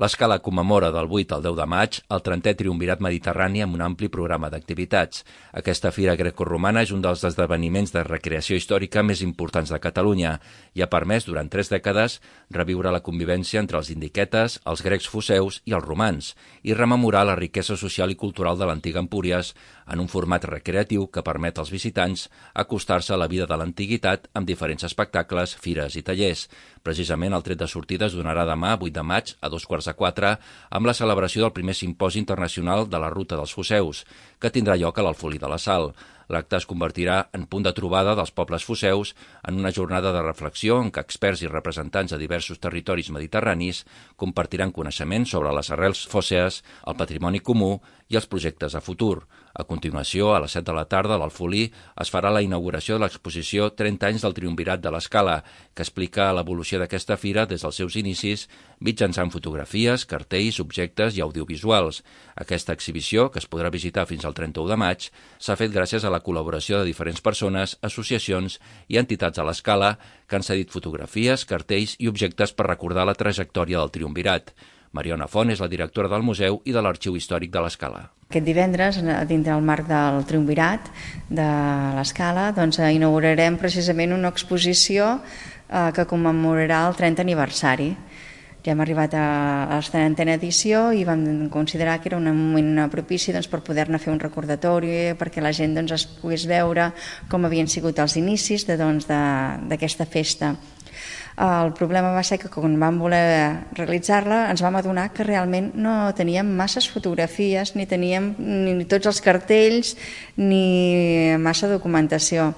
L'Escala commemora del 8 al 10 de maig el 30è Triumvirat Mediterrani amb un ampli programa d'activitats. Aquesta fira grecorromana és un dels esdeveniments de recreació històrica més importants de Catalunya i ha permès, durant 3 dècades, reviure la convivència entre els indiquetes, els grecs foceus i els romans i rememorar la riquesa social i cultural de l'antiga Empúries en un format recreatiu que permet als visitants acostar-se a la vida de l'antiguitat amb diferents espectacles, fires i tallers. Precisament el tret de sortida es donarà demà, 8 de maig, a 2:45, amb la celebració del primer simposi internacional de la Ruta dels Foceus, que tindrà lloc a l'Alfolí de la Sal. L'acte es convertirà en punt de trobada dels pobles foceus en una jornada de reflexió en què experts i representants de diversos territoris mediterranis compartiran coneixements sobre les arrels fòssees, el patrimoni comú i els projectes a futur. A continuació, a les 7 de la tarda, a l'Alfolí, es farà la inauguració de l'exposició 30 anys del Triumvirat de l'Escala, que explica l'evolució d'aquesta fira des dels seus inicis mitjançant fotografies, cartells, objectes i audiovisuals. Aquesta exhibició, que es podrà visitar fins al 31 de maig, s'ha fet gràcies a la col·laboració de diferents persones, associacions i entitats a l'Escala que han cedit fotografies, cartells i objectes per recordar la trajectòria del Triumvirat. Mariona Font és la directora del museu i de l'Arxiu Històric de l'Escala. Aquest divendres, dintre del marc del Triumvirat de l'Escala, inaugurarem precisament una exposició que commemorarà el 30 aniversari. Ja hem arribat a la 30a edició i vam considerar que era un moment propici per poder-ne fer un recordatori, perquè la gent es pogués veure com havien sigut els inicis d'aquesta festa. El problema va ser que quan vam voler realitzar-la ens vam adonar que realment no teníem masses fotografies, ni teníem ni tots els cartells ni massa documentació.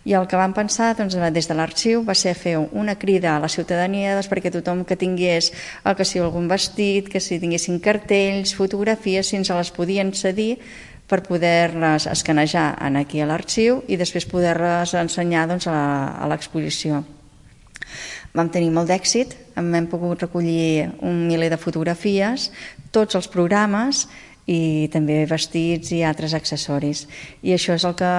I el que vam pensar des de l'arxiu va ser fer una crida a la ciutadania perquè tothom que tingués que si algun vestit, que si tinguessin cartells, fotografies, si ens les podien cedir per poder-les escanejar aquí a l'arxiu i després poder-les ensenyar a l'exposició. Vam tenir molt d'èxit, hem pogut recollir 1 miler de fotografies, tots els programes i també vestits i altres accessoris. I això és el que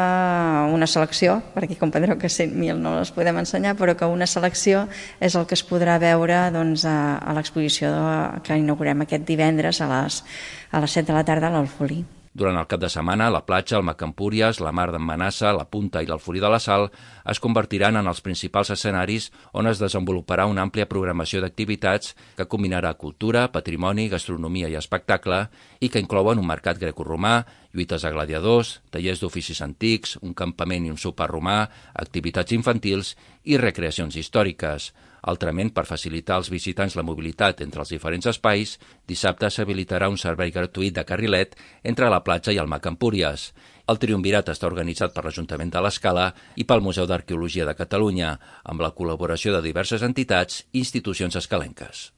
una selecció, perquè comprendreu que 100.000 no les podem ensenyar, però que una selecció és el que es podrà veure a l'exposició que inaugurem aquest divendres a les 7 de la tarda a l'Alfolí. Durant el cap de setmana, la platja, el Mac Empúries, la Mar d'en Manassa, la Punta i l'Alfolí de la Sal es convertiran en els principals escenaris on es desenvoluparà una àmplia programació d'activitats que combinarà cultura, patrimoni, gastronomia i espectacle i que inclouen un mercat grecoromà, lluites a gladiadors, tallers d'oficis antics, un campament i un sopar romà, activitats infantils i recreacions històriques. Altrament, per facilitar als visitants la mobilitat entre els diferents espais, dissabte s'habilitarà un servei gratuït de carrilet entre la platja i el Mac Empúries. El Triumvirat està organitzat per l'Ajuntament de l'Escala i pel Museu d'Arqueologia de Catalunya, amb la col·laboració de diverses entitats i institucions escalenques.